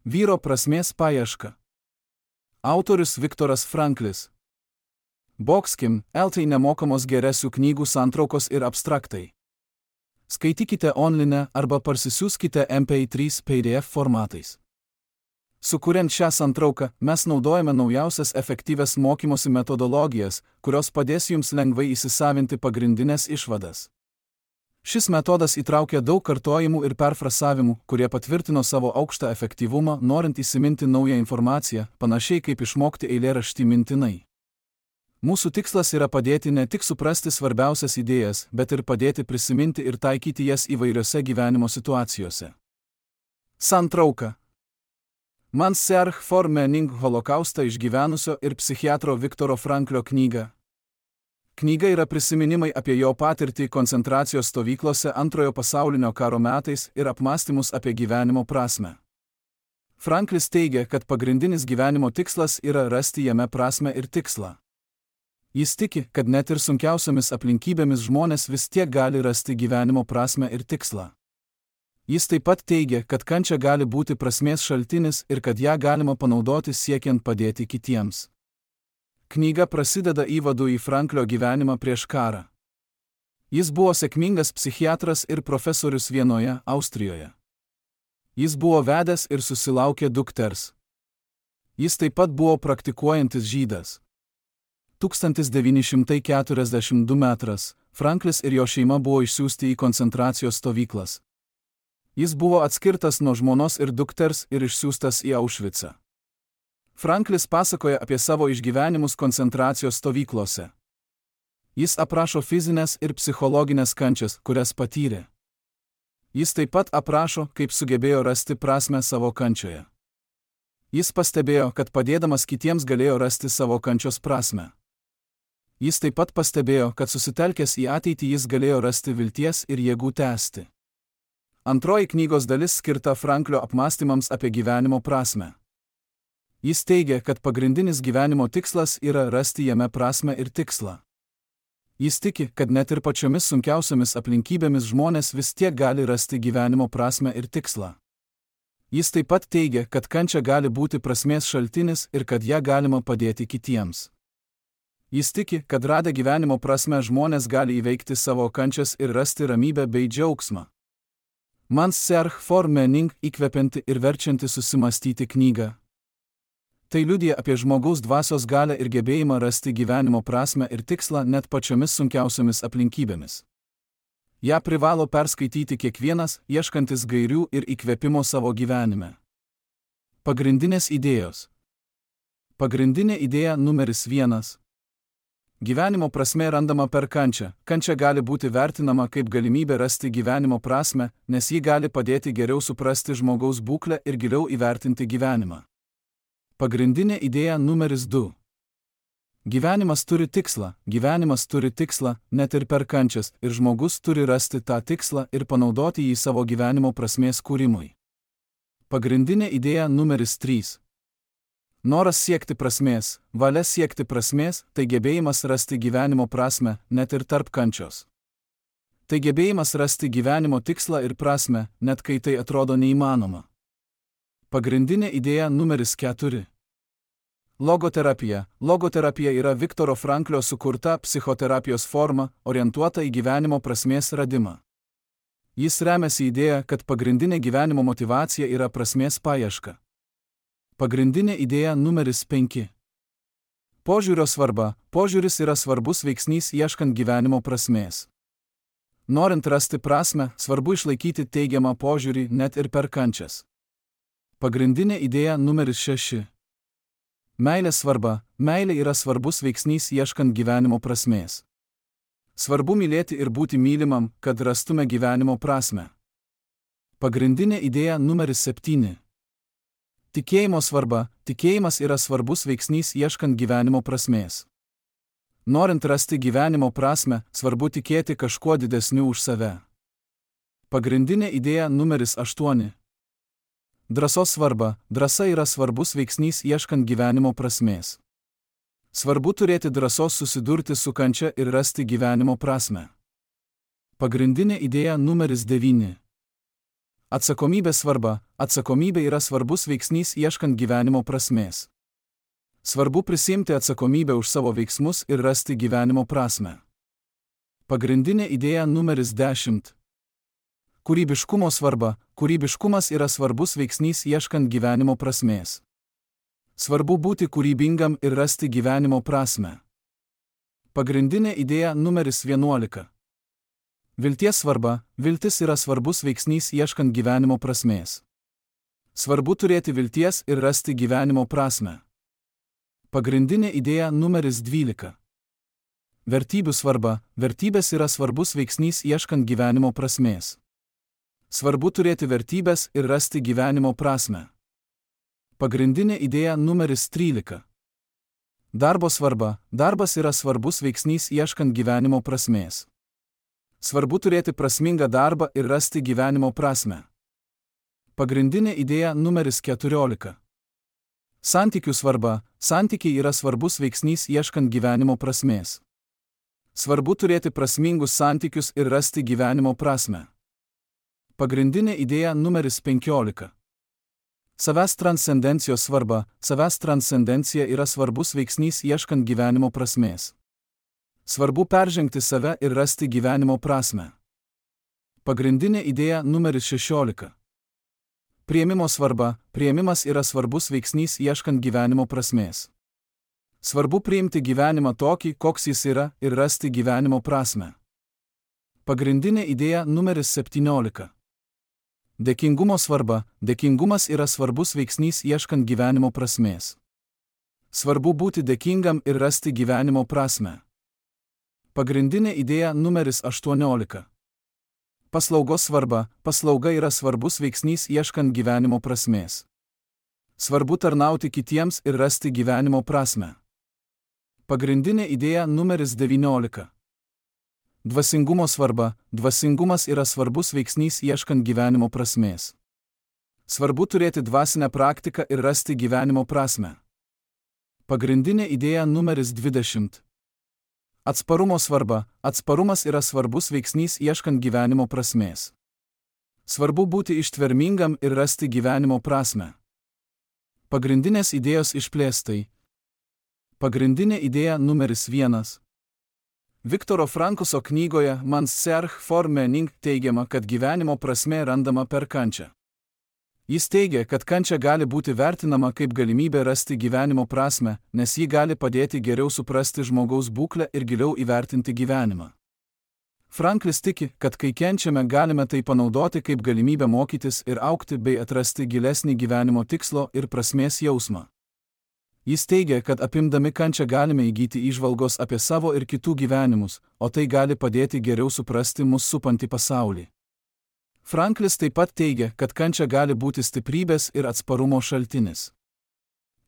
Vyro prasmės paieška. Autorius Viktoras Franklis. Boxkim, LT nemokamos geresių knygų santraukos ir abstraktai. Skaitykite online arba parsisiųskite MP3 PDF formatais. Sukuriant šią santrauką, mes naudojame naujausias efektyvias mokymosi metodologijas, kurios padės jums lengvai įsisavinti pagrindinės išvadas. Šis metodas įtraukia daug kartojimų ir perfrasavimų, kurie patvirtino savo aukštą efektyvumą, norint įsiminti naują informaciją, panašiai kaip išmokti eilėraštį mintinai. Mūsų tikslas yra padėti ne tik suprasti svarbiausias idėjas, bet ir padėti prisiminti ir taikyti jas įvairiose gyvenimo situacijose. Santrauka. Man Search for Meaning holokaustą išgyvenusio ir psichiatro Viktoro Franklio knyga. Knyga yra prisiminimai apie jo patirtį koncentracijos stovyklose Antrojo pasaulinio karo metais ir apmąstymus apie gyvenimo prasmę. Franklis teigia, kad pagrindinis gyvenimo tikslas yra rasti jame prasmę ir tikslą. Jis tiki, kad net ir sunkiausiamis aplinkybėmis žmonės vis tiek gali rasti gyvenimo prasmę ir tikslą. Jis taip pat teigia, kad kančia gali būti prasmės šaltinis ir kad ją galima panaudoti siekiant padėti kitiems. Knyga prasideda įvadu į Franklio gyvenimą prieš karą. Jis buvo sėkmingas psichiatras ir profesorius vienoje Austrijoje. Jis buvo vedęs ir susilaukė dukters. Jis taip pat buvo praktikuojantis žydas. 1942 metras Franklis ir jo šeima buvo išsiųsti į koncentracijos stovyklas. Jis buvo atskirtas nuo žmonos ir dukters ir išsiųstas į Aušvicą. Franklis pasakoja apie savo išgyvenimus koncentracijos stovyklose. Jis aprašo fizinės ir psichologinės kančias, kurias patyrė. Jis taip pat aprašo, kaip sugebėjo rasti prasmę savo kančioje. Jis pastebėjo, kad padėdamas kitiems galėjo rasti savo kančios prasmę. Jis taip pat pastebėjo, kad susitelkęs į ateitį jis galėjo rasti vilties ir jėgų tęsti. Antroji knygos dalis skirta Franklio apmąstymams apie gyvenimo prasmę. Jis teigia, kad pagrindinis gyvenimo tikslas yra rasti jame prasmę ir tikslą. Jis tiki, kad net ir pačiomis sunkiausiamis aplinkybėmis žmonės vis tiek gali rasti gyvenimo prasmę ir tikslą. Jis taip pat teigia, kad kančia gali būti prasmės šaltinis ir kad ją galima padėti kitiems. Jis tiki, kad radę gyvenimo prasmę žmonės gali įveikti savo kančias ir rasti ramybę bei džiaugsmą. Man Search for Meaning įkvepianti ir verčianti susimastyti knygą. Tai liudija apie žmogaus dvasios galią ir gebėjimą rasti gyvenimo prasmę ir tikslą net pačiomis sunkiausiamis aplinkybėmis. Ja privalo perskaityti kiekvienas, ieškantis gairių ir įkvėpimo savo gyvenime. Pagrindinės idėjos. Pagrindinė idėja numeris 1. Gyvenimo prasmė randama per kančią. Kančia gali būti vertinama kaip galimybė rasti gyvenimo prasmę, nes ji gali padėti geriau suprasti žmogaus būklę ir giliau įvertinti gyvenimą. Pagrindinė idėja numeris 2. Gyvenimas turi tikslą, net ir per kančias, ir žmogus turi rasti tą tikslą ir panaudoti jį savo gyvenimo prasmės kūrimui. Pagrindinė idėja numeris 3. Noras siekti prasmės, valia siekti prasmės, tai gebėjimas rasti gyvenimo prasmę, net ir tarp kančios. Tai gebėjimas rasti gyvenimo tikslą ir prasmę, net kai tai atrodo neįmanoma. Pagrindinė idėja numeris 4. Logoterapija. Logoterapija yra Viktoro Franklio sukurta psichoterapijos forma, orientuota į gyvenimo prasmės radimą. Jis remiasi idėja, kad pagrindinė gyvenimo motyvacija yra prasmės paieška. Pagrindinė idėja numeris 5. Požiūrio svarba. Požiūris yra svarbus veiksnys ieškant gyvenimo prasmės. Norint rasti prasmę, svarbu išlaikyti teigiamą požiūrį net ir per kančias. Pagrindinė idėja numeris 6. Meilės svarba. Meilė yra svarbus veiksnys ieškant gyvenimo prasmės. Svarbu mylėti ir būti mylimam, kad rastume gyvenimo prasmę. Pagrindinė idėja numeris 7. Tikėjimo svarba. Tikėjimas yra svarbus veiksnys ieškant gyvenimo prasmės. Norint rasti gyvenimo prasmę, svarbu tikėti kažkuo didesniu už save. Pagrindinė idėja numeris 8. Drąsos svarba. Drąsa yra svarbus veiksnys ieškant gyvenimo prasmės. Svarbu turėti drąsos susidurti su kančia ir rasti gyvenimo prasmę. Pagrindinė idėja numeris 9. Atsakomybės svarba. Atsakomybė yra svarbus veiksnys ieškant gyvenimo prasmės. Svarbu prisiimti atsakomybę už savo veiksmus ir rasti gyvenimo prasmę. Pagrindinė idėja numeris 10. Kūrybiškumo svarba. Kūrybiškumas yra svarbus veiksnys ieškant gyvenimo prasmės. Svarbu būti kūrybingam ir rasti gyvenimo prasmę. Pagrindinė idėja numeris 11. Vilties svarba. Viltis yra svarbus veiksnys ieškant gyvenimo prasmės. Svarbu turėti vilties ir rasti gyvenimo prasmę. Pagrindinė idėja numeris 12. Vertybių svarba. Vertybės yra svarbus veiksnys ieškant gyvenimo prasmės. Svarbu turėti vertybės ir rasti gyvenimo prasmę. Pagrindinė idėja numeris 13. Darbo svarba. Darbas yra svarbus veiksnys ieškant gyvenimo prasmės. Svarbu turėti prasmingą darbą ir rasti gyvenimo prasmę. Pagrindinė idėja numeris 14. Santykių svarba. Santykiai yra svarbus veiksnys ieškant gyvenimo prasmės. Svarbu turėti prasmingus santykius ir rasti gyvenimo prasmę. Pagrindinė idėja numeris 15. Savęs transcendencijos svarba. Savęs transcendencija yra svarbus veiksnys ieškant gyvenimo prasmės. Svarbu peržengti save ir rasti gyvenimo prasmę. Pagrindinė idėja numeris 16. Priėmimo svarba. Priėmimas yra svarbus veiksnys ieškant gyvenimo prasmės. Svarbu priimti gyvenimą tokį, koks jis yra, ir rasti gyvenimo prasmę. Pagrindinė idėja numeris 17. Dėkingumo svarba. Dėkingumas yra svarbus veiksnys ieškant gyvenimo prasmės. Svarbu būti dėkingam ir rasti gyvenimo prasmę. Pagrindinė idėja numeris 18. Paslaugos svarba. Paslauga yra svarbus veiksnys ieškant gyvenimo prasmės. Svarbu tarnauti kitiems ir rasti gyvenimo prasmę. Pagrindinė idėja numeris 19. Dvasingumo svarba. Dvasingumas yra svarbus veiksnys ieškant gyvenimo prasmės. Svarbu turėti dvasinę praktiką ir rasti gyvenimo prasmę. Pagrindinė idėja numeris 20. Atsparumo svarba. Atsparumas yra svarbus veiksnys ieškant gyvenimo prasmės. Svarbu būti ištvermingam ir rasti gyvenimo prasmę. Pagrindinės idėjos išplėstai. Pagrindinė idėja numeris 1. Viktoro Frankuso knygoje Man's Search for Meaning teigiama, kad gyvenimo prasmė randama per kančią. Jis teigia, kad kančia gali būti vertinama kaip galimybė rasti gyvenimo prasmę, nes ji gali padėti geriau suprasti žmogaus būklę ir giliau įvertinti gyvenimą. Franklis tiki, kad kai kenčiame, galime tai panaudoti kaip galimybę mokytis ir augti bei atrasti gilesnį gyvenimo tikslo ir prasmės jausmą. Jis teigia, kad apimdami kančią galime įgyti įžvalgos apie savo ir kitų gyvenimus, o tai gali padėti geriau suprasti mus supantį pasaulį. Franklis taip pat teigia, kad kančia gali būti stiprybės ir atsparumo šaltinis.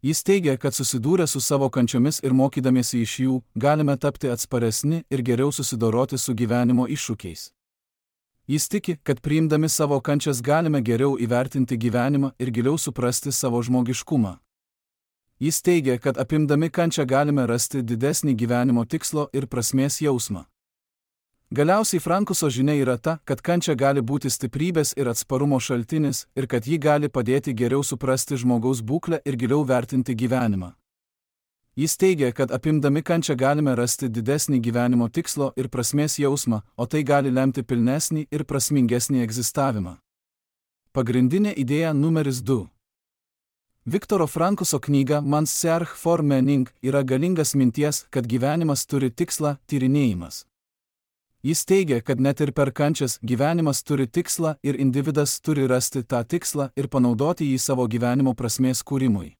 Jis teigia, kad susidūrę su savo kančiomis ir mokydamiesi iš jų, galime tapti atsparesni ir geriau susidoroti su gyvenimo iššūkiais. Jis tiki, kad priimdami savo kančias galime geriau įvertinti gyvenimą ir giliau suprasti savo žmogiškumą. Jis teigia, kad apimdami kančią galime rasti didesnį gyvenimo tikslo ir prasmės jausmą. Galiausiai Frankuso žinia yra ta, kad kančia gali būti stiprybės ir atsparumo šaltinis ir kad ji gali padėti geriau suprasti žmogaus būklę ir giliau vertinti gyvenimą. Jis teigia, kad apimdami kančią galime rasti didesnį gyvenimo tikslo ir prasmės jausmą, o tai gali lemti pilnesnį ir prasmingesnį egzistavimą. Pagrindinė idėja numeris 2. Viktoro Frankuso knyga Man's Search for Meaning yra galingas minties, kad gyvenimas turi tikslą – tyrinėjimas. Jis teigia, kad net ir per kančias gyvenimas turi tikslą ir individas turi rasti tą tikslą ir panaudoti jį savo gyvenimo prasmės kūrimui.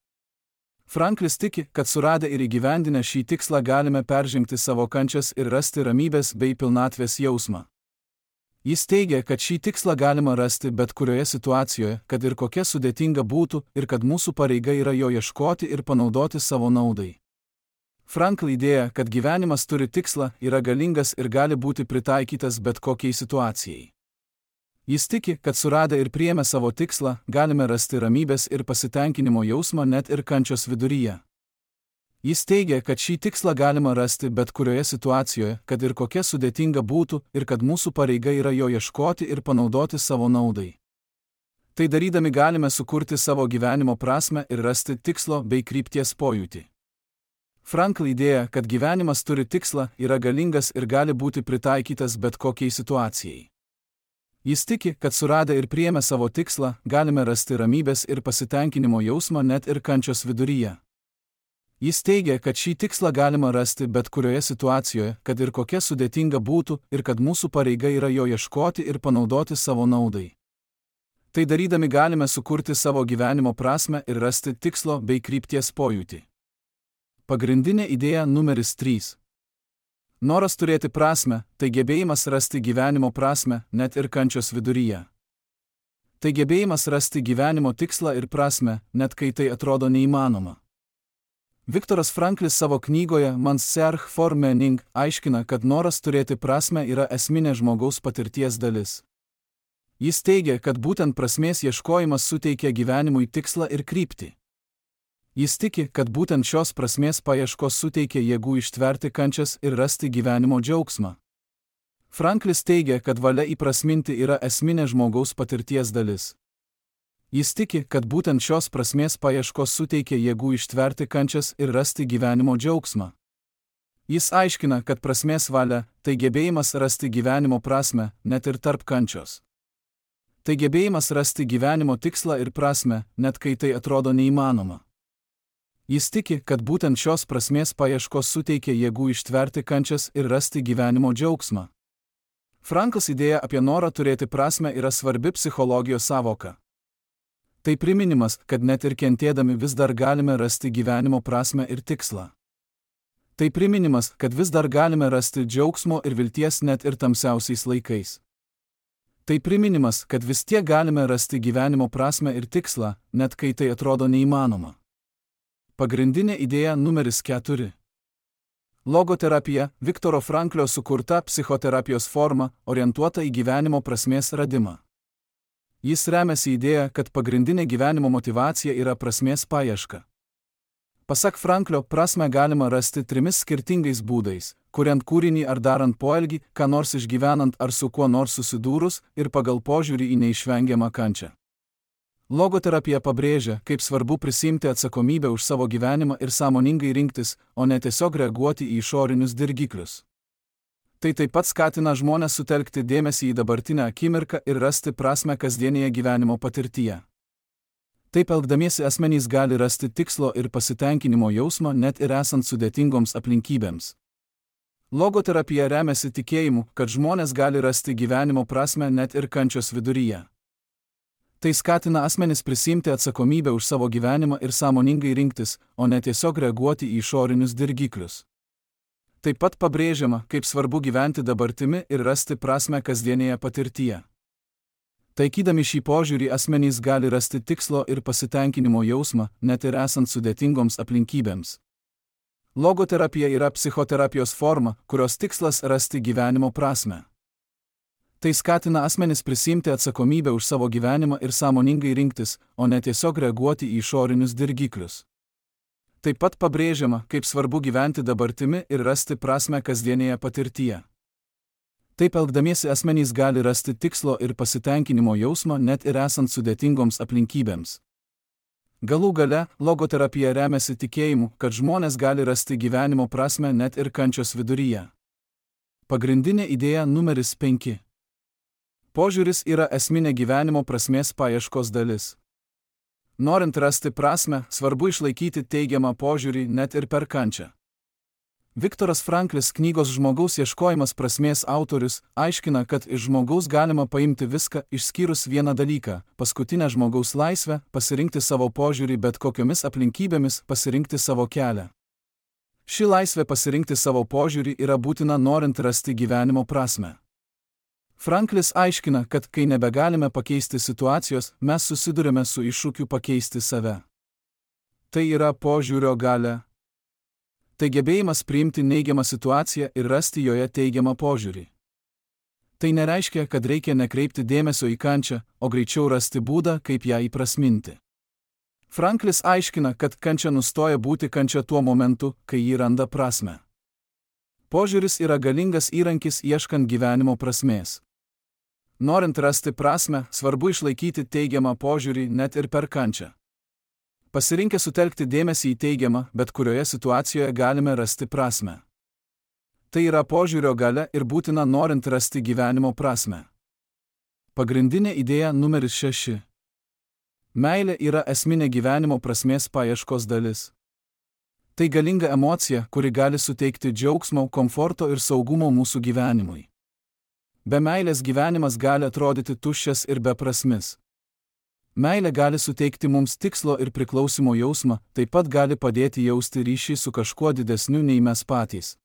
Franklis tiki, kad suradę ir įgyvendinę šį tikslą galime peržengti savo kančias ir rasti ramybės bei pilnatvės jausmą. Jis teigia, kad šį tikslą galima rasti bet kurioje situacijoje, kad ir kokia sudėtinga būtų, ir kad mūsų pareiga yra jo ieškoti ir panaudoti savo naudai. Frankl idėja, kad gyvenimas turi tikslą, yra galingas ir gali būti pritaikytas bet kokiai situacijai. Jis tiki, kad suradę ir priėmę savo tikslą, galime rasti ramybės ir pasitenkinimo jausmą net ir kančios viduryje. Jis teigia, kad šį tikslą galima rasti bet kurioje situacijoje, kad ir kokia sudėtinga būtų, ir kad mūsų pareiga yra jo ieškoti ir panaudoti savo naudai. Tai darydami galime sukurti savo gyvenimo prasmę ir rasti tikslo bei krypties pojūtį. Frankl idėja, kad gyvenimas turi tikslą, yra galingas ir gali būti pritaikytas bet kokiai situacijai. Jis tiki, kad suradę ir priėmę savo tikslą, galime rasti ramybės ir pasitenkinimo jausmą net ir kančios viduryje. Jis teigia, kad šį tikslą galima rasti bet kurioje situacijoje, kad ir kokia sudėtinga būtų, ir kad mūsų pareiga yra jo ieškoti ir panaudoti savo naudai. Tai darydami galime sukurti savo gyvenimo prasmę ir rasti tikslo bei krypties pojūtį. Pagrindinė idėja numeris 3. Noras turėti prasmę, tai gebėjimas rasti gyvenimo prasmę, net ir kančios viduryje. Tai gebėjimas rasti gyvenimo tikslą ir prasmę, net kai tai atrodo neįmanoma. Viktoras Franklis savo knygoje Man's Search for Meaning aiškina, kad noras turėti prasmę yra esminė žmogaus patirties dalis. Jis teigia, kad būtent prasmės ieškojimas suteikia gyvenimui tikslą ir kryptį. Jis tiki, kad būtent šios prasmės paieškos suteikia jėgų ištverti kančias ir rasti gyvenimo džiaugsmą. Franklis teigia, kad valia įprasminti yra esminė žmogaus patirties dalis. Jis tiki, kad būtent šios prasmės paieškos suteikia jėgų ištverti kančias ir rasti gyvenimo džiaugsmą. Jis aiškina, kad prasmės valia – tai gebėjimas rasti gyvenimo prasmę, net ir tarp kančios. Tai gebėjimas rasti gyvenimo tikslą ir prasmę, net kai tai atrodo neįmanoma. Jis tiki, kad būtent šios prasmės paieškos suteikia jėgų ištverti kančias ir rasti gyvenimo džiaugsmą. Frankls idėja apie norą turėti prasmę yra svarbi psichologijos sąvoka. Tai priminimas, kad net ir kentėdami vis dar galime rasti gyvenimo prasmę ir tikslą. Tai priminimas, kad vis dar galime rasti džiaugsmo ir vilties net ir tamsiausiais laikais. Tai priminimas, kad vis tiek galime rasti gyvenimo prasmę ir tikslą, net kai tai atrodo neįmanoma. Pagrindinė idėja numeris 4. Logoterapija – Viktoro Franklio sukurta psichoterapijos forma, orientuota į gyvenimo prasmės radimą. Jis remiasi idėja, kad pagrindinė gyvenimo motyvacija yra prasmės paieška. Pasak Franklio, prasmę galima rasti 3 skirtingais būdais – kuriant kūrinį ar darant poelgį, ką nors išgyvenant ar su kuo nors susidūrus ir pagal požiūrį į neišvengiamą kančią. Logoterapija pabrėžia, kaip svarbu prisiimti atsakomybę už savo gyvenimą ir sąmoningai rinktis, o ne tiesiog reaguoti į išorinius dirgiklius. Tai taip pat skatina žmones sutelkti dėmesį į dabartinę akimirką ir rasti prasmę kasdienėje gyvenimo patirtyje. Taip elgdamiesi asmenys gali rasti tikslo ir pasitenkinimo jausmą net ir esant sudėtingoms aplinkybėms. Logoterapija remiasi tikėjimu, kad žmonės gali rasti gyvenimo prasmę net ir kančios viduryje. Tai skatina asmenis prisiimti atsakomybę už savo gyvenimą ir sąmoningai rinktis, o ne tiesiog reaguoti į išorinius dirgiklius. Taip pat pabrėžiama, kaip svarbu gyventi dabartimi ir rasti prasmę kasdienėje patirtyje. Taikydami šį požiūrį asmenys gali rasti tikslo ir pasitenkinimo jausmą, net ir esant sudėtingoms aplinkybėms. Logoterapija yra psichoterapijos forma, kurios tikslas rasti gyvenimo prasmę. Tai skatina asmenis prisiimti atsakomybę už savo gyvenimą ir sąmoningai rinktis, o ne tiesiog reaguoti į išorinius dirgiklius. Taip pat pabrėžiama, kaip svarbu gyventi dabartimi ir rasti prasmę kasdienėje patirtyje. Taip elgdamiesi asmenys gali rasti tikslo ir pasitenkinimo jausmą net ir esant sudėtingoms aplinkybėms. Galų gale, logoterapija remiasi tikėjimu, kad žmonės gali rasti gyvenimo prasmę net ir kančios viduryje. Pagrindinė idėja numeris 5. Požiūris yra esminė gyvenimo prasmės paieškos dalis. Norint rasti prasmę, svarbu išlaikyti teigiamą požiūrį net ir per kančią. Viktoras Franklis knygos Žmogaus ieškojimas prasmės autorius aiškina, kad iš žmogaus galima paimti viską išskyrus vieną dalyką – paskutinę žmogaus laisvę, pasirinkti savo požiūrį bet kokiomis aplinkybėmis, pasirinkti savo kelią. Ši laisvė pasirinkti savo požiūrį yra būtina norint rasti gyvenimo prasmę. Franklis aiškina, kad kai nebegalime pakeisti situacijos, mes susidurime su iššūkiu pakeisti save. Tai yra požiūrio galia. Tai gebėjimas priimti neigiamą situaciją ir rasti joje teigiamą požiūrį. Tai nereiškia, kad reikia nekreipti dėmesio į kančią, o greičiau rasti būdą, kaip ją įprasminti. Franklis aiškina, kad kančia nustoja būti kančia tuo momentu, kai ji randa prasmę. Požiūris yra galingas įrankis ieškant gyvenimo prasmės. Norint rasti prasmę, svarbu išlaikyti teigiamą požiūrį net ir per kančią. Pasirinkę sutelkti dėmesį į teigiamą, bet kurioje situacijoje galime rasti prasmę. Tai yra požiūrio galia ir būtina norint rasti gyvenimo prasmę. Pagrindinė idėja numeris 6. Meilė yra esminė gyvenimo prasmės paieškos dalis. Tai galinga emocija, kuri gali suteikti džiaugsmo, komforto ir saugumo mūsų gyvenimui. Be meilės gyvenimas gali atrodyti tuščias ir beprasmis. Meilė gali suteikti mums tikslo ir priklausimo jausmą, taip pat gali padėti jausti ryšį su kažkuo didesniu nei mes patys.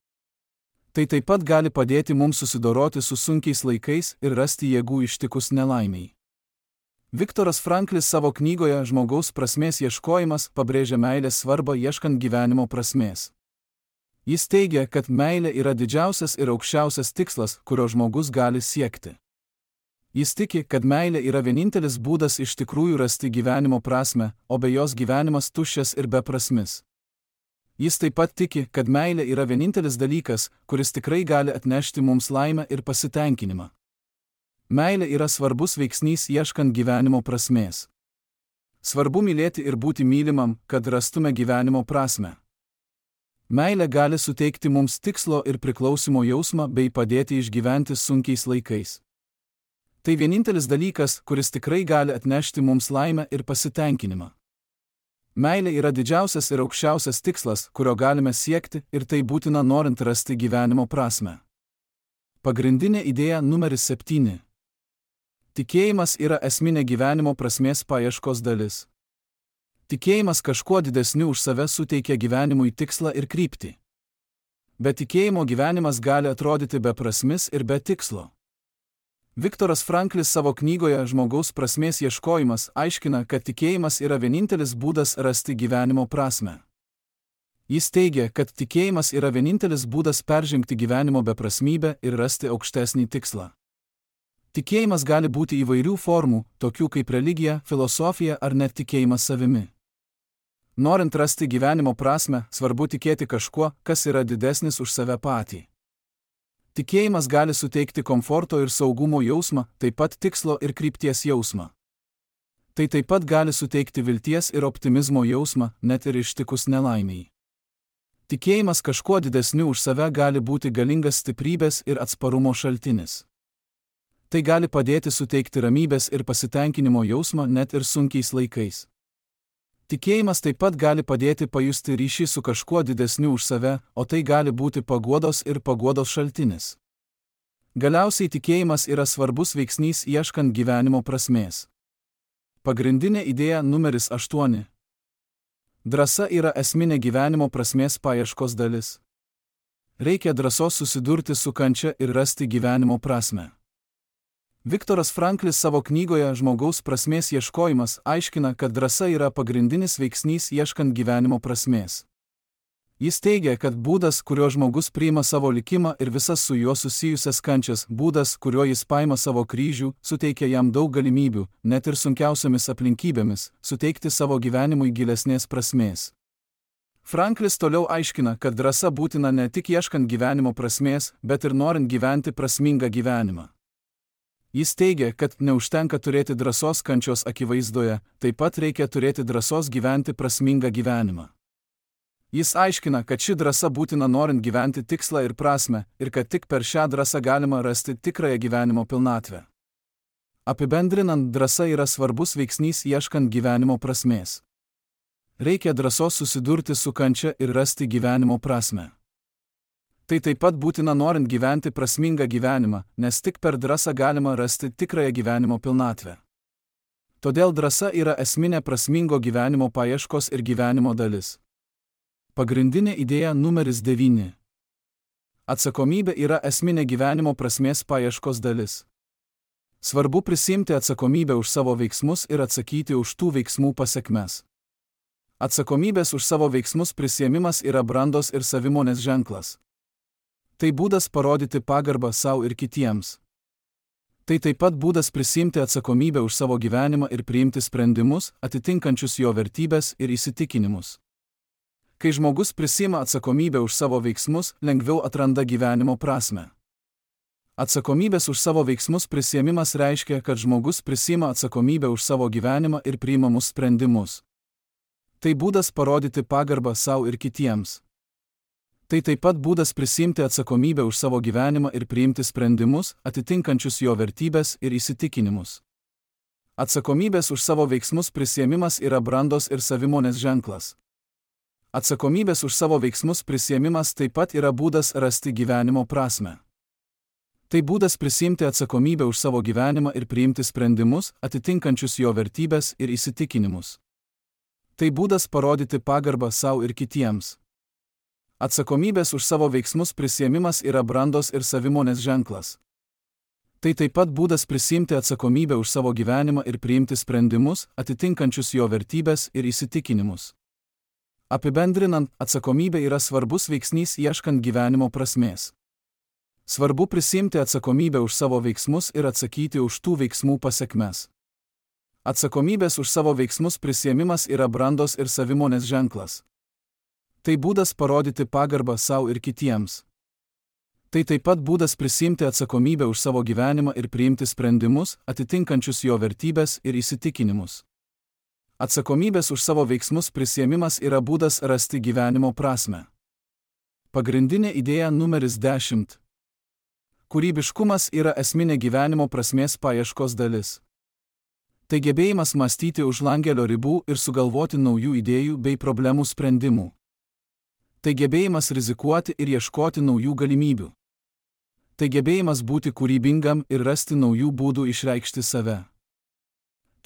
Tai taip pat gali padėti mums susidoroti su sunkiais laikais ir rasti jėgų ištikus nelaimiai. Viktoras Franklis savo knygoje Žmogaus prasmės ieškojimas pabrėžia meilės svarbą ieškant gyvenimo prasmės. Jis teigia, kad meilė yra didžiausias ir aukščiausias tikslas, kurio žmogus gali siekti. Jis tiki, kad meilė yra vienintelis būdas iš tikrųjų rasti gyvenimo prasmę, o be jos gyvenimas tuščias ir beprasmis. Jis taip pat tiki, kad meilė yra vienintelis dalykas, kuris tikrai gali atnešti mums laimę ir pasitenkinimą. Meilė yra svarbus veiksnys ieškant gyvenimo prasmės. Svarbu mylėti ir būti mylimam, kad rastume gyvenimo prasmę. Meilė gali suteikti mums tikslo ir priklausimo jausmą bei padėti išgyventi sunkiais laikais. Tai vienintelis dalykas, kuris tikrai gali atnešti mums laimę ir pasitenkinimą. Meilė yra didžiausias ir aukščiausias tikslas, kurio galime siekti, ir tai būtina norint rasti gyvenimo prasmę. Pagrindinė idėja numeris 7. Tikėjimas yra esminė gyvenimo prasmės paieškos dalis. Tikėjimas kažkuo didesniu už save suteikia gyvenimui tikslą ir kryptį. Be tikėjimo gyvenimas gali atrodyti beprasmis ir be tikslo. Viktoras Franklis savo knygoje Žmogaus prasmės ieškojimas aiškina, kad tikėjimas yra vienintelis būdas rasti gyvenimo prasmę. Jis teigia, kad tikėjimas yra vienintelis būdas peržengti gyvenimo beprasmybę ir rasti aukštesnį tikslą. Tikėjimas gali būti įvairių formų, tokių kaip religija, filosofija ar net tikėjimas savimi. Norint rasti gyvenimo prasmę, svarbu tikėti kažkuo, kas yra didesnis už save patį. Tikėjimas gali suteikti komforto ir saugumo jausmą, taip pat tikslo ir krypties jausmą. Tai taip pat gali suteikti vilties ir optimizmo jausmą, net ir ištikus nelaimiai. Tikėjimas kažkuo didesniu už save gali būti galingas stiprybės ir atsparumo šaltinis. Tai gali padėti suteikti ramybės ir pasitenkinimo jausmą net ir sunkiais laikais. Tikėjimas taip pat gali padėti pajusti ryšį su kažkuo didesniu už save, o tai gali būti paguodos ir paguodos šaltinis. Galiausiai tikėjimas yra svarbus veiksnys ieškant gyvenimo prasmės. Pagrindinė idėja numeris 8. Drąsa yra esminė gyvenimo prasmės paieškos dalis. Reikia drąsos susidurti su kančia ir rasti gyvenimo prasmę. Viktoras Franklis savo knygoje Žmogaus prasmės ieškojimas aiškina, kad drąsa yra pagrindinis veiksnys ieškant gyvenimo prasmės. Jis teigia, kad būdas, kuriuo žmogus priima savo likimą ir visas su juo susijusias kančias, būdas, kuriuo jis paima savo kryžių, suteikia jam daug galimybių, net ir sunkiausiamis aplinkybėmis, suteikti savo gyvenimui gilesnės prasmės. Franklis toliau aiškina, kad drąsa būtina ne tik ieškant gyvenimo prasmės, bet ir norint gyventi prasmingą gyvenimą. Jis teigia, kad neužtenka turėti drąsos kančios akivaizdoje, taip pat reikia turėti drąsos gyventi prasmingą gyvenimą. Jis aiškina, kad ši drąsa būtina norint gyventi tikslą ir prasmę, ir kad tik per šią drąsą galima rasti tikrąją gyvenimo pilnatvę. Apibendrinant, drąsa yra svarbus veiksnys ieškant gyvenimo prasmės. Reikia drąsos susidurti su kančia ir rasti gyvenimo prasmę. Tai taip pat būtina norint gyventi prasmingą gyvenimą, nes tik per drąsą galima rasti tikrąją gyvenimo pilnatvę. Todėl drąsa yra esminė prasmingo gyvenimo paieškos ir gyvenimo dalis. Pagrindinė idėja numeris 9. Atsakomybė yra esminė gyvenimo prasmės paieškos dalis. Svarbu prisiimti atsakomybę už savo veiksmus ir atsakyti už tų veiksmų pasekmes. Atsakomybės už savo veiksmus prisiėmimas yra brandos ir savimonės ženklas. Tai būdas parodyti pagarbą savo ir kitiems. Tai taip pat būdas prisiimti atsakomybę už savo gyvenimą ir priimti sprendimus, atitinkančius jo vertybės ir įsitikinimus. Kai žmogus prisiima atsakomybę už savo veiksmus, lengviau atranda gyvenimo prasmę. Atsakomybės už savo veiksmus prisiėmimas reiškia, kad žmogus prisiima atsakomybę už savo gyvenimą ir priimamus sprendimus. Tai būdas parodyti pagarbą savo ir kitiems. Tai taip pat būdas prisiimti atsakomybę už savo gyvenimą ir priimti sprendimus, atitinkančius jo vertybės ir įsitikinimus. Atsakomybės už savo veiksmus prisiėmimas yra brandos ir savimonės ženklas. Atsakomybės už savo veiksmus prisiėmimas taip pat yra būdas rasti gyvenimo prasmę. Tai būdas prisiimti atsakomybę už savo gyvenimą ir priimti sprendimus, atitinkančius jo vertybės ir įsitikinimus. Tai būdas parodyti pagarbą savo ir kitiems. Atsakomybės už savo veiksmus prisiėmimas yra brandos ir savimonės ženklas. Tai taip pat būdas prisiimti atsakomybę už savo gyvenimą ir priimti sprendimus, atitinkančius jo vertybės ir įsitikinimus. Apibendrinant, atsakomybė yra svarbus veiksnys ieškant gyvenimo prasmės. Svarbu prisiimti atsakomybę už savo veiksmus ir atsakyti už tų veiksmų pasekmes. Atsakomybės už savo veiksmus prisiėmimas yra brandos ir savimonės ženklas. Tai būdas parodyti pagarbą savo ir kitiems. Tai taip pat būdas prisiimti atsakomybę už savo gyvenimą ir priimti sprendimus, atitinkančius jo vertybės ir įsitikinimus. Atsakomybės už savo veiksmus prisiėmimas yra būdas rasti gyvenimo prasmę. Pagrindinė idėja numeris 10. Kūrybiškumas yra esminė gyvenimo prasmės paieškos dalis. Tai gebėjimas mąstyti už langelio ribų ir sugalvoti naujų idėjų bei problemų sprendimų. Tai gebėjimas rizikuoti ir ieškoti naujų galimybių. Tai gebėjimas būti kūrybingam ir rasti naujų būdų išreikšti save.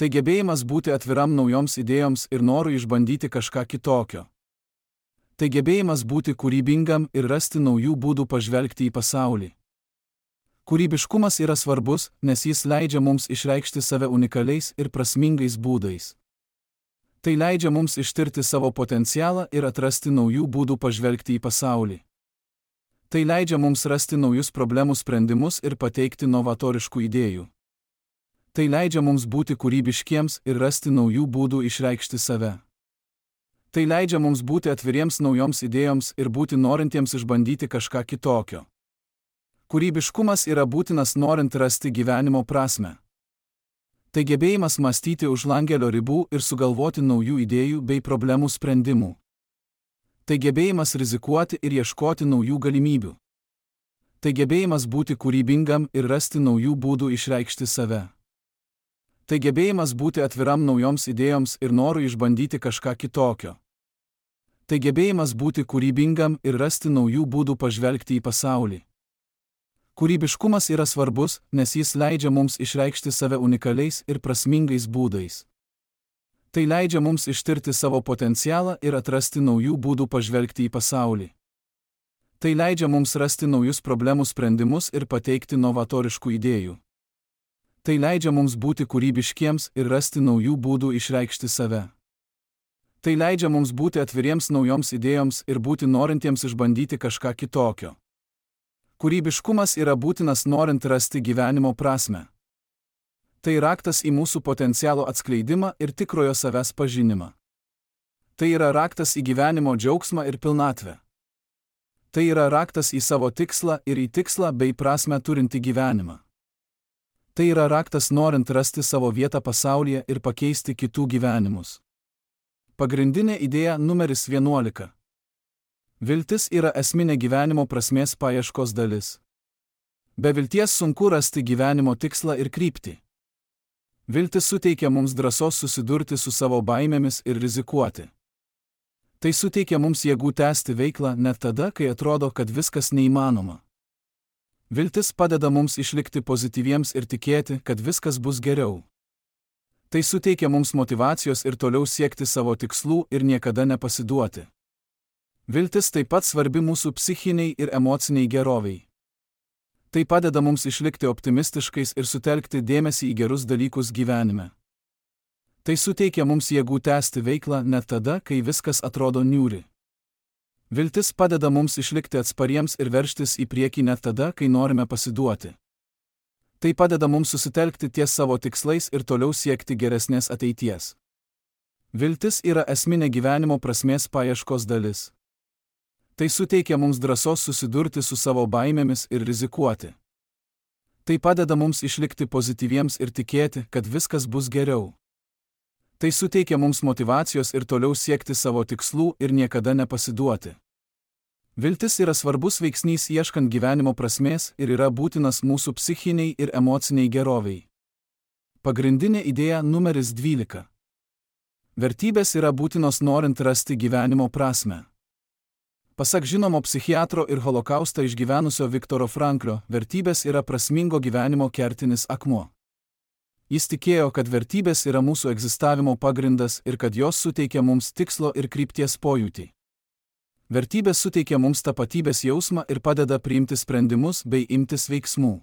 Tai gebėjimas būti atviram naujoms idėjoms ir norui išbandyti kažką kitokio. Tai gebėjimas būti kūrybingam ir rasti naujų būdų pažvelgti į pasaulį. Kūrybiškumas yra svarbus, nes jis leidžia mums išreikšti save unikaliais ir prasmingais būdais. Tai leidžia mums ištirti savo potencialą ir atrasti naujų būdų pažvelgti į pasaulį. Tai leidžia mums rasti naujus problemų sprendimus ir pateikti novatoriškų idėjų. Tai leidžia mums būti kūrybiškiems ir rasti naujų būdų išreikšti save. Tai leidžia mums būti atviriems naujoms idėjoms ir būti norintiems išbandyti kažką kitokio. Kūrybiškumas yra būtinas norint rasti gyvenimo prasmę. Tai gebėjimas mąstyti už langelio ribų ir sugalvoti naujų idėjų bei problemų sprendimų. Tai gebėjimas rizikuoti ir ieškoti naujų galimybių. Tai gebėjimas būti kūrybingam ir rasti naujų būdų išreikšti save. Tai gebėjimas būti atviram naujoms idėjoms ir norui išbandyti kažką kitokio. Tai gebėjimas būti kūrybingam ir rasti naujų būdų pažvelgti į pasaulį. Kūrybiškumas yra svarbus, nes jis leidžia mums išreikšti save unikaliais ir prasmingais būdais. Tai leidžia mums ištirti savo potencialą ir atrasti naujų būdų pažvelgti į pasaulį. Tai leidžia mums rasti naujus problemų sprendimus ir pateikti novatoriškų idėjų. Tai leidžia mums būti kūrybiškiems ir rasti naujų būdų išreikšti save. Tai leidžia mums būti atviriems naujoms idėjoms ir būti norintiems išbandyti kažką kitokio. Kūrybiškumas yra būtinas norint rasti gyvenimo prasmę. Tai raktas į mūsų potencialo atskleidimą ir tikrojo savęs pažinimą. Tai yra raktas į gyvenimo džiaugsmą ir pilnatvę. Tai yra raktas į savo tikslą ir į tikslą bei prasmę turinti gyvenimą. Tai yra raktas norint rasti savo vietą pasaulyje ir pakeisti kitų gyvenimus. Pagrindinė idėja numeris 11. Viltis yra esminė gyvenimo prasmės paieškos dalis. Be vilties sunku rasti gyvenimo tikslą ir kryptį. Viltis suteikia mums drąsos susidurti su savo baimėmis ir rizikuoti. Tai suteikia mums jėgų tęsti veiklą net tada, kai atrodo, kad viskas neįmanoma. Viltis padeda mums išlikti pozityviems ir tikėti, kad viskas bus geriau. Tai suteikia mums motyvacijos ir toliau siekti savo tikslų ir niekada nepasiduoti. Viltis taip pat svarbi mūsų psichiniai ir emociniai geroviai. Tai padeda mums išlikti optimistiškais ir sutelkti dėmesį į gerus dalykus gyvenime. Tai suteikia mums jėgų tęsti veiklą net tada, kai viskas atrodo niūri. Viltis padeda mums išlikti atspariems ir veržtis į priekį net tada, kai norime pasiduoti. Tai padeda mums susitelkti ties savo tikslais ir toliau siekti geresnės ateities. Viltis yra esminė gyvenimo prasmės paieškos dalis. Tai suteikia mums drąsos susidurti su savo baimėmis ir rizikuoti. Tai padeda mums išlikti pozityviems ir tikėti, kad viskas bus geriau. Tai suteikia mums motyvacijos ir toliau siekti savo tikslų ir niekada nepasiduoti. Viltis yra svarbus veiksnys ieškant gyvenimo prasmės ir yra būtinas mūsų psichiniai ir emociniai geroviai. Pagrindinė idėja numeris 12. Vertybės yra būtinos norint rasti gyvenimo prasmę. Pasak žinomo psichiatro ir holokaustą išgyvenusio Viktoro Franklio, vertybės yra prasmingo gyvenimo kertinis akmuo. Jis tikėjo, kad vertybės yra mūsų egzistavimo pagrindas ir kad jos suteikia mums tikslo ir krypties pojūtį. Vertybės suteikia mums tapatybės jausmą ir padeda priimti sprendimus bei imtis veiksmų.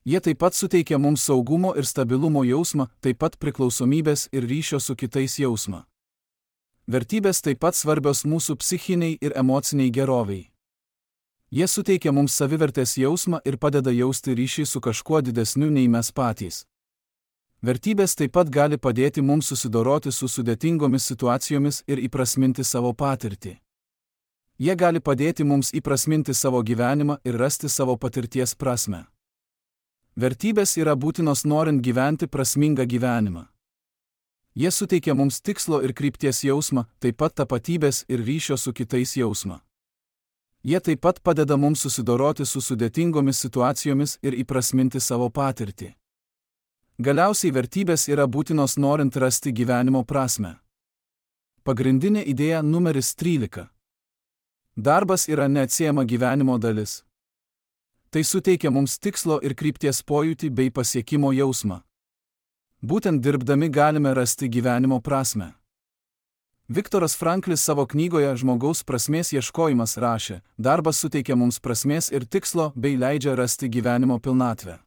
Jie taip pat suteikia mums saugumo ir stabilumo jausmą, taip pat priklausomybės ir ryšio su kitais jausmą. Vertybės taip pat svarbios mūsų psichiniai ir emociniai geroviai. Jie suteikia mums savivertės jausmą ir padeda jausti ryšį su kažkuo didesniu nei mes patys. Vertybės taip pat gali padėti mums susidoroti su sudėtingomis situacijomis ir įprasminti savo patirtį. Jie gali padėti mums įprasminti savo gyvenimą ir rasti savo patirties prasmę. Vertybės yra būtinos norint gyventi prasmingą gyvenimą. Jie suteikia mums tikslo ir krypties jausmą, taip pat tapatybės ir ryšio su kitais jausmą. Jie taip pat padeda mums susidoroti su sudėtingomis situacijomis ir įprasminti savo patirtį. Galiausiai vertybės yra būtinos norint rasti gyvenimo prasmę. Pagrindinė idėja numeris 13. Darbas yra neatsiejama gyvenimo dalis. Tai suteikia mums tikslo ir krypties pojūtį bei pasiekimo jausmą. Būtent dirbdami galime rasti gyvenimo prasmę. Viktoras Franklis savo knygoje Žmogaus prasmės ieškojimas rašė, darbas suteikia mums prasmės ir tikslo bei leidžia rasti gyvenimo pilnatvę.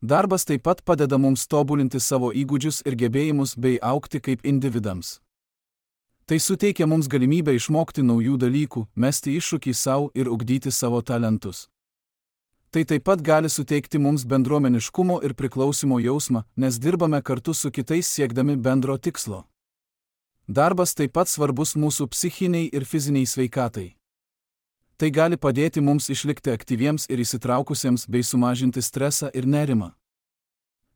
Darbas taip pat padeda mums tobulinti savo įgūdžius ir gebėjimus bei augti kaip individams. Tai suteikia mums galimybę išmokti naujų dalykų, mesti iššūkį savo ir ugdyti savo talentus. Tai taip pat gali suteikti mums bendruomeniškumo ir priklausimo jausmą, nes dirbame kartu su kitais siekdami bendro tikslo. Darbas taip pat svarbus mūsų psichiniai ir fiziniai sveikatai. Tai gali padėti mums išlikti aktyviems ir įsitraukusiems bei sumažinti stresą ir nerimą.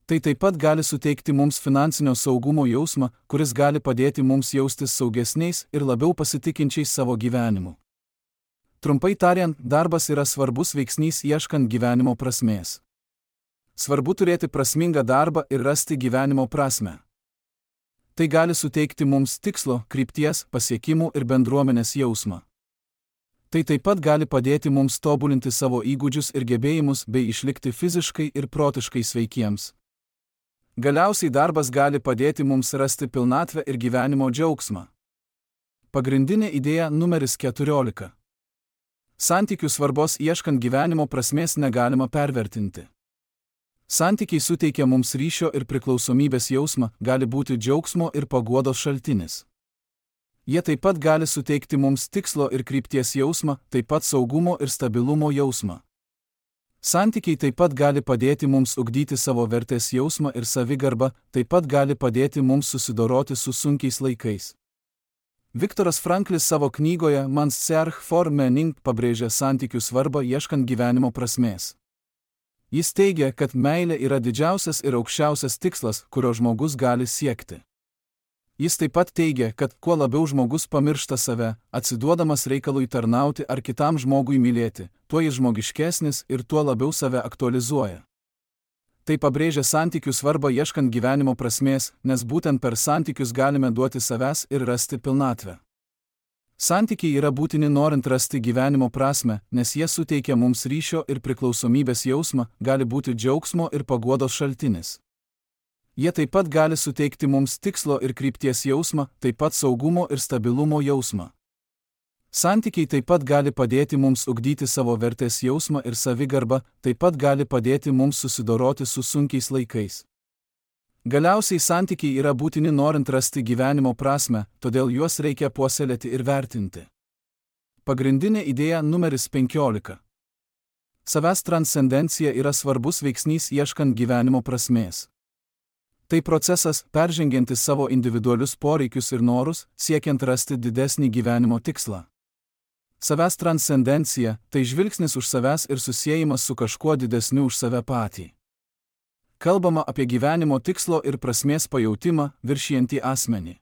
Tai taip pat gali suteikti mums finansinio saugumo jausmą, kuris gali padėti mums jaustis saugesniais ir labiau pasitikinčiais savo gyvenimu. Trumpai tariant, darbas yra svarbus veiksnys ieškant gyvenimo prasmės. Svarbu turėti prasmingą darbą ir rasti gyvenimo prasmę. Tai gali suteikti mums tikslo, krypties, pasiekimų ir bendruomenės jausmą. Tai taip pat gali padėti mums tobulinti savo įgūdžius ir gebėjimus bei išlikti fiziškai ir protiškai sveikiems. Galiausiai darbas gali padėti mums rasti pilnatvę ir gyvenimo džiaugsmą. Pagrindinė idėja numeris 14. Santykių svarbos ieškant gyvenimo prasmės negalima pervertinti. Santykiai suteikia mums ryšio ir priklausomybės jausmą, gali būti džiaugsmo ir paguodos šaltinis. Jie taip pat gali suteikti mums tikslo ir krypties jausmą, taip pat saugumo ir stabilumo jausmą. Santykiai taip pat gali padėti mums ugdyti savo vertės jausmą ir savigarbą, taip pat gali padėti mums susidoroti su sunkiais laikais. Viktoras Franklis savo knygoje Man's Search for Meaning pabrėžia santykių svarbą ieškant gyvenimo prasmės. Jis teigia, kad meilė yra didžiausias ir aukščiausias tikslas, kurio žmogus gali siekti. Jis taip pat teigia, kad kuo labiau žmogus pamiršta save, atsiduodamas reikalui tarnauti ar kitam žmogui mylėti, tuo jis žmogiškesnis ir tuo labiau save aktualizuoja. Tai pabrėžia santykių svarbą ieškant gyvenimo prasmės, nes būtent per santykius galime duoti savęs ir rasti pilnatvę. Santykiai yra būtini norint rasti gyvenimo prasmę, nes jie suteikia mums ryšio ir priklausomybės jausmą, gali būti džiaugsmo ir paguodos šaltinis. Jie taip pat gali suteikti mums tikslo ir krypties jausmą, taip pat saugumo ir stabilumo jausmą. Santykiai taip pat gali padėti mums ugdyti savo vertės jausmą ir savigarbą, taip pat gali padėti mums susidoroti su sunkiais laikais. Galiausiai santykiai yra būtini norint rasti gyvenimo prasmę, todėl juos reikia puoselėti ir vertinti. Pagrindinė idėja numeris 15. Savęs transcendencija yra svarbus veiksnys ieškant gyvenimo prasmės. Tai procesas, peržengiantis savo individualius poreikius ir norus, siekiant rasti didesnį gyvenimo tikslą. Savęs transcendencija – tai žvilgsnis už savęs ir susiejimas su kažkuo didesniu už save patį. Kalbama apie gyvenimo tikslo ir prasmės pajautimą, viršijantį asmenį.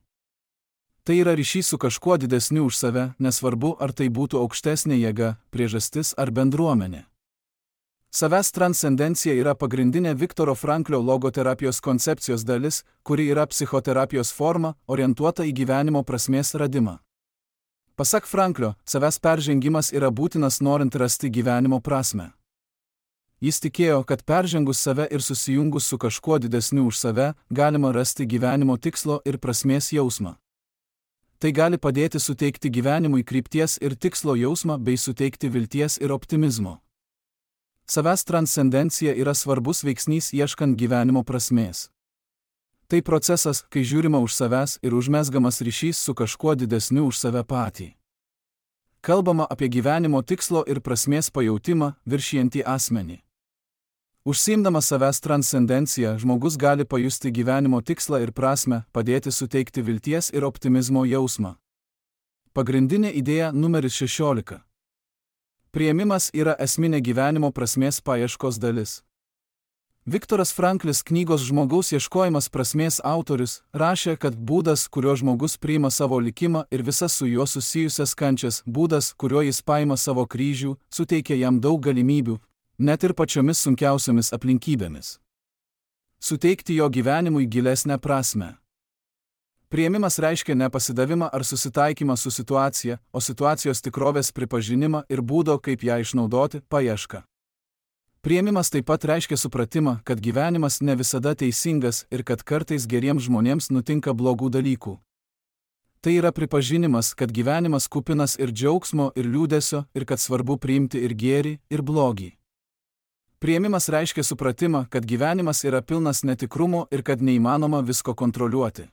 Tai yra ryšys su kažkuo didesniu už save, nesvarbu, ar tai būtų aukštesnė jėga, priežastis ar bendruomenė. Savęs transcendencija yra pagrindinė Viktoro Franklio logoterapijos koncepcijos dalis, kuri yra psichoterapijos forma, orientuota į gyvenimo prasmės radimą. Pasak Franklio, savęs peržengimas yra būtinas norint rasti gyvenimo prasmę. Jis tikėjo, kad peržengus save ir susijungus su kažkuo didesniu už save, galima rasti gyvenimo tikslo ir prasmės jausmą. Tai gali padėti suteikti gyvenimui krypties ir tikslo jausmą bei suteikti vilties ir optimizmo. Savęs transcendencija yra svarbus veiksnys ieškant gyvenimo prasmės. Tai procesas, kai žiūrima už savęs ir užmezgamas ryšys su kažkuo didesniu už save patį. Kalbama apie gyvenimo tikslo ir prasmės pajautimą, viršijantį asmenį. Užsiimdamas savęs transcendenciją, žmogus gali pajusti gyvenimo tikslą ir prasmę, padėti suteikti vilties ir optimizmo jausmą. Pagrindinė idėja numeris 16. Priėmimas yra esminė gyvenimo prasmės paieškos dalis. Viktoras Franklis knygos Žmogaus ieškojimas prasmės autorius rašė, kad būdas, kuriuo žmogus priima savo likimą ir visas su juo susijusias kančias, būdas, kuriuo jis paima savo kryžių, suteikia jam daug galimybių, net ir pačiomis sunkiausiomis aplinkybėmis. Suteikti jo gyvenimui gilesnę prasmę. Priėmimas reiškia ne pasidavimą ar susitaikymą su situacija, o situacijos tikrovės pripažinimą ir būdo, kaip ją išnaudoti, paiešką. Priėmimas taip pat reiškia supratimą, kad gyvenimas ne visada teisingas ir kad kartais geriems žmonėms nutinka blogų dalykų. Tai yra pripažinimas, kad gyvenimas kupinas ir džiaugsmo, ir liūdesio, ir kad svarbu priimti ir gėrį, ir blogį. Priėmimas reiškia supratimą, kad gyvenimas yra pilnas netikrumo ir kad neįmanoma visko kontroliuoti.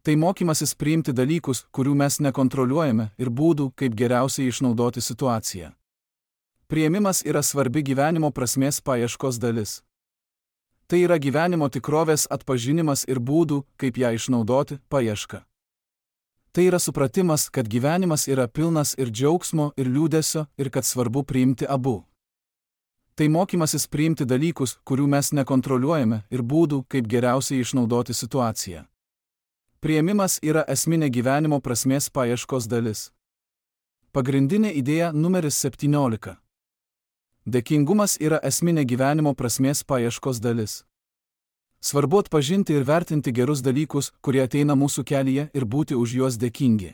Tai mokymasis priimti dalykus, kurių mes nekontroliuojame, ir būdų, kaip geriausiai išnaudoti situaciją. Priėmimas yra svarbi gyvenimo prasmės paieškos dalis. Tai yra gyvenimo tikrovės atpažinimas ir būdų, kaip ją išnaudoti, paieška. Tai yra supratimas, kad gyvenimas yra pilnas ir džiaugsmo, ir liūdesio, ir kad svarbu priimti abu. Tai mokymasis priimti dalykus, kurių mes nekontroliuojame, ir būdų, kaip geriausiai išnaudoti situaciją. Priėmimas yra esminė gyvenimo prasmės paieškos dalis. Pagrindinė idėja numeris 17. Dėkingumas yra esminė gyvenimo prasmės paieškos dalis. Svarbu atpažinti ir vertinti gerus dalykus, kurie ateina mūsų kelyje, ir būti už juos dėkingi.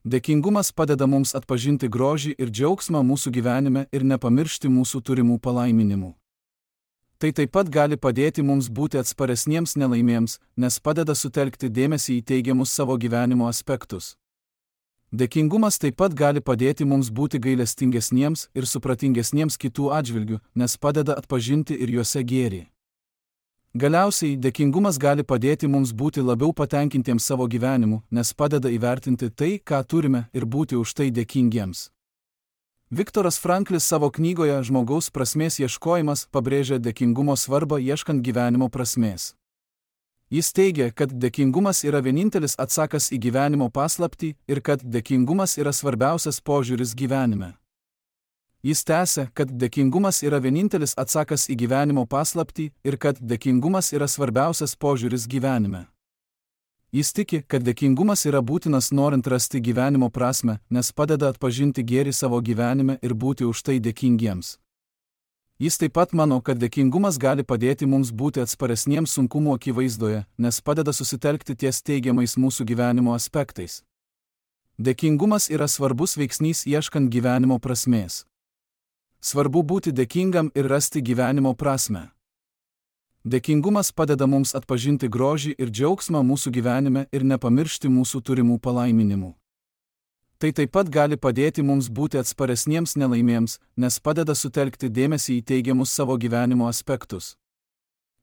Dėkingumas padeda mums atpažinti grožį ir džiaugsmą mūsų gyvenime ir nepamiršti mūsų turimų palaiminimų. Tai taip pat gali padėti mums būti atsparesniems nelaimėms, nes padeda sutelkti dėmesį į teigiamus savo gyvenimo aspektus. Dėkingumas taip pat gali padėti mums būti gailestingesniems ir supratingesniems kitų atžvilgių, nes padeda atpažinti ir juose gėrį. Galiausiai, dėkingumas gali padėti mums būti labiau patenkintiems savo gyvenimu, nes padeda įvertinti tai, ką turime, ir būti už tai dėkingiems. Viktoras Franklis savo knygoje Žmogaus prasmės ieškojimas pabrėžia dėkingumo svarbą ieškant gyvenimo prasmės. Jis teigia, kad dėkingumas yra vienintelis atsakas į gyvenimo paslaptį ir kad dėkingumas yra svarbiausias požiūris gyvenime. Jis tęsia, kad dėkingumas yra vienintelis atsakas į gyvenimo paslaptį ir kad dėkingumas yra svarbiausias požiūris gyvenime. Jis tiki, kad dėkingumas yra būtinas norint rasti gyvenimo prasmę, nes padeda atpažinti gėrį savo gyvenime ir būti už tai dėkingiems. Jis taip pat mano, kad dėkingumas gali padėti mums būti atsparesniems sunkumų akivaizdoje, nes padeda susitelkti ties teigiamais mūsų gyvenimo aspektais. Dėkingumas yra svarbus veiksnys ieškant gyvenimo prasmės. Svarbu būti dėkingam ir rasti gyvenimo prasmę. Dėkingumas padeda mums atpažinti grožį ir džiaugsmą mūsų gyvenime ir nepamiršti mūsų turimų palaiminimų. Tai taip pat gali padėti mums būti atsparesniems nelaimėms, nes padeda sutelkti dėmesį į teigiamus savo gyvenimo aspektus.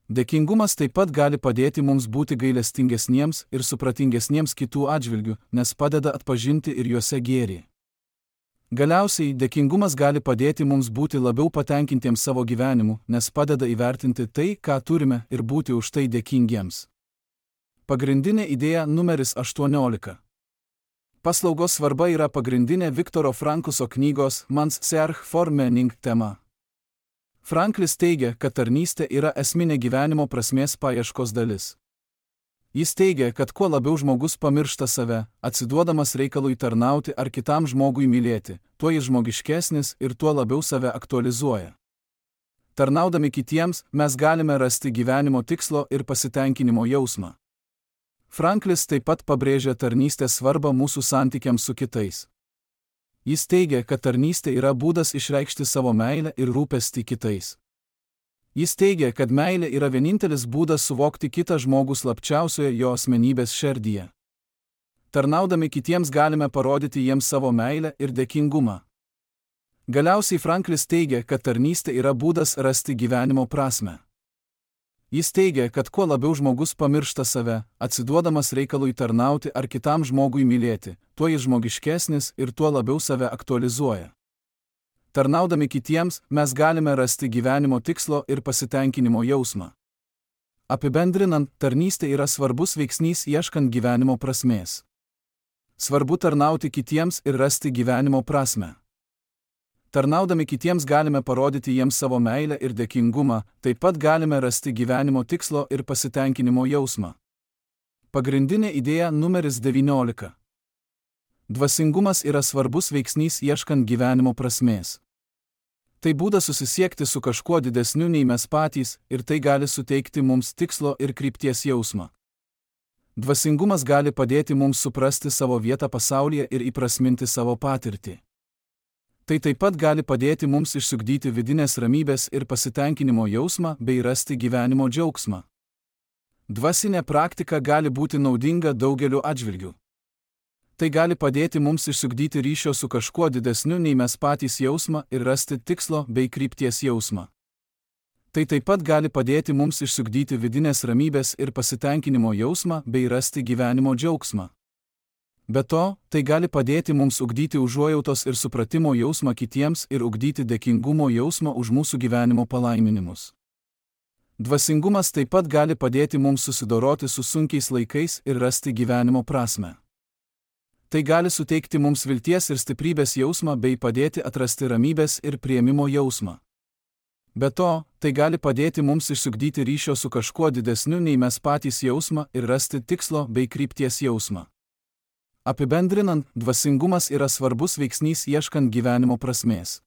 Dėkingumas taip pat gali padėti mums būti gailestingesniems ir supratingesniems kitų atžvilgių, nes padeda atpažinti ir juose gėrį. Galiausiai, dėkingumas gali padėti mums būti labiau patenkintiems savo gyvenimu, nes padeda įvertinti tai, ką turime, ir būti už tai dėkingiems. Pagrindinė idėja numeris 18. Paslaugos svarba yra pagrindinė Viktoro Frankliso knygos Man's Search for Meaning tema. Franklis teigia, kad tarnystė yra esminė gyvenimo prasmės paieškos dalis. Jis teigia, kad kuo labiau žmogus pamiršta save, atsiduodamas reikalui tarnauti ar kitam žmogui mylėti, tuo jis žmogiškesnis ir tuo labiau save aktualizuoja. Tarnaudami kitiems, mes galime rasti gyvenimo tikslo ir pasitenkinimo jausmą. Franklis taip pat pabrėžia tarnystės svarbą mūsų santykiams su kitais. Jis teigia, kad tarnystė yra būdas išreikšti savo meilę ir rūpestį kitais. Jis teigia, kad meilė yra vienintelis būdas suvokti kitą žmogų slapčiausioje jo asmenybės šerdyje. Tarnaudami kitiems galime parodyti jiems savo meilę ir dėkingumą. Galiausiai Franklis teigia, kad tarnystė yra būdas rasti gyvenimo prasmę. Jis teigia, kad kuo labiau žmogus pamiršta save, atsiduodamas reikalui tarnauti ar kitam žmogui mylėti, tuo jis žmogiškesnis ir tuo labiau save aktualizuoja. Tarnaudami kitiems, mes galime rasti gyvenimo tikslo ir pasitenkinimo jausmą. Apibendrinant, tarnystė yra svarbus veiksnys ieškant gyvenimo prasmės. Svarbu tarnauti kitiems ir rasti gyvenimo prasmę. Tarnaudami kitiems galime parodyti jiems savo meilę ir dėkingumą, taip pat galime rasti gyvenimo tikslo ir pasitenkinimo jausmą. Pagrindinė idėja numeris 19. Dvasingumas yra svarbus veiksnys ieškant gyvenimo prasmės. Tai būdas susisiekti su kažkuo didesniu nei mes patys ir tai gali suteikti mums tikslo ir krypties jausmą. Dvasingumas gali padėti mums suprasti savo vietą pasaulyje ir įprasminti savo patirtį. Tai taip pat gali padėti mums išsiugdyti vidinės ramybės ir pasitenkinimo jausmą bei rasti gyvenimo džiaugsmą. Dvasinė praktika gali būti naudinga daugeliu atžvilgių. Tai gali padėti mums išsiugdyti ryšio su kažkuo didesniu nei mes patys jausmą ir rasti tikslo bei krypties jausmą. Tai taip pat gali padėti mums išsiugdyti vidinės ramybės ir pasitenkinimo jausmą bei rasti gyvenimo džiaugsmą. Be to, tai gali padėti mums ugdyti užuojautos ir supratimo jausmą kitiems ir ugdyti dėkingumo jausmą už mūsų gyvenimo palaiminimus. Dvasingumas taip pat gali padėti mums susidoroti su sunkiais laikais ir rasti gyvenimo prasmę. Tai gali suteikti mums vilties ir stiprybės jausmą bei padėti atrasti ramybės ir priėmimo jausmą. Be to, tai gali padėti mums išsiugdyti ryšio su kažkuo didesniu nei mes patys jausmą ir rasti tikslo bei krypties jausmą. Apibendrinant, dvasingumas yra svarbus veiksnys ieškant gyvenimo prasmės.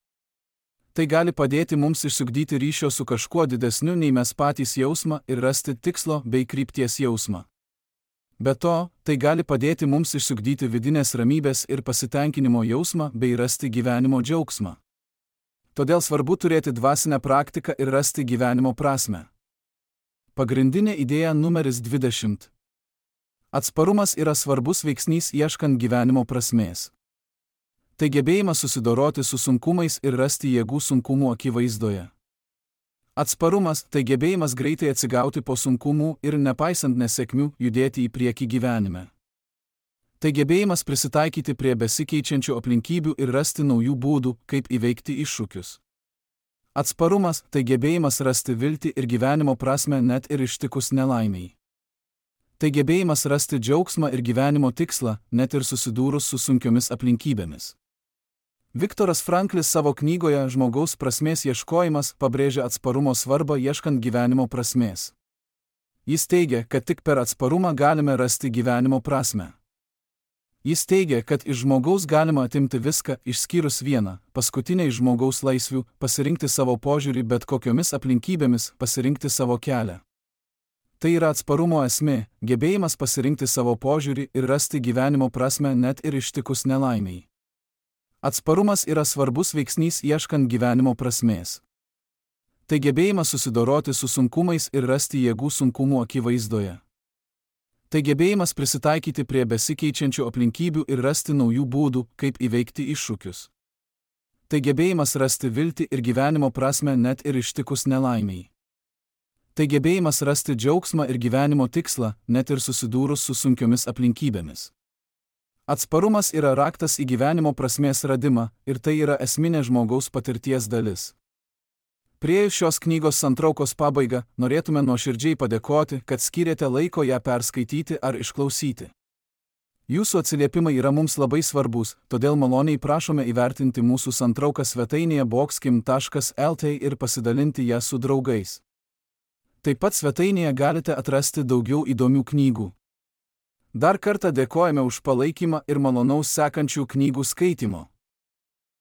Tai gali padėti mums išsiugdyti ryšio su kažkuo didesniu nei mes patys jausmą ir rasti tikslo bei krypties jausmą. Be to, tai gali padėti mums išsiugdyti vidinės ramybės ir pasitenkinimo jausmą bei rasti gyvenimo džiaugsmą. Todėl svarbu turėti dvasinę praktiką ir rasti gyvenimo prasmę. Pagrindinė idėja numeris 20. Atsparumas yra svarbus veiksnys ieškant gyvenimo prasmės. Tai gebėjimas susidoroti su sunkumais ir rasti jėgų sunkumų akivaizdoje. Atsparumas – tai gebėjimas greitai atsigauti po sunkumų ir nepaisant nesėkmių judėti į priekį gyvenime. Tai gebėjimas prisitaikyti prie besikeičiančių aplinkybių ir rasti naujų būdų, kaip įveikti iššūkius. Atsparumas – tai gebėjimas rasti viltį ir gyvenimo prasmę net ir ištikus nelaimiai. Tai gebėjimas rasti džiaugsmą ir gyvenimo tikslą, net ir susidūrus su sunkiomis aplinkybėmis. Viktoras Franklis savo knygoje Žmogaus prasmės ieškojimas pabrėžia atsparumo svarbą ieškant gyvenimo prasmės. Jis teigia, kad tik per atsparumą galime rasti gyvenimo prasmę. Jis teigia, kad iš žmogaus galima atimti viską, išskyrus vieną, paskutinę iš žmogaus laisvių, pasirinkti savo požiūrį bet kokiomis aplinkybėmis, pasirinkti savo kelią. Tai yra atsparumo esmė, gebėjimas pasirinkti savo požiūrį ir rasti gyvenimo prasmę net ir ištikus nelaimiai. Atsparumas yra svarbus veiksnys ieškant gyvenimo prasmės. Tai gebėjimas susidoroti su sunkumais ir rasti jėgų sunkumų akivaizdoje. Tai gebėjimas prisitaikyti prie besikeičiančių aplinkybių ir rasti naujų būdų, kaip įveikti iššūkius. Tai gebėjimas rasti viltį ir gyvenimo prasmę net ir ištikus nelaimiai. Tai gebėjimas rasti džiaugsmą ir gyvenimo tikslą, net ir susidūrus su sunkiomis aplinkybėmis. Atsparumas yra raktas į gyvenimo prasmės radimą ir tai yra esminė žmogaus patirties dalis. Priėjus šios knygos santraukos pabaigą, norėtume nuoširdžiai padėkoti, kad skyrėte laiko ją perskaityti ar išklausyti. Jūsų atsiliepimai yra mums labai svarbus, todėl maloniai prašome įvertinti mūsų santrauką svetainėje boxkim.lt ir pasidalinti ją su draugais. Taip pat svetainėje galite atrasti daugiau įdomių knygų. Dar kartą dėkojame už palaikymą ir malonaus sekančių knygų skaitymo.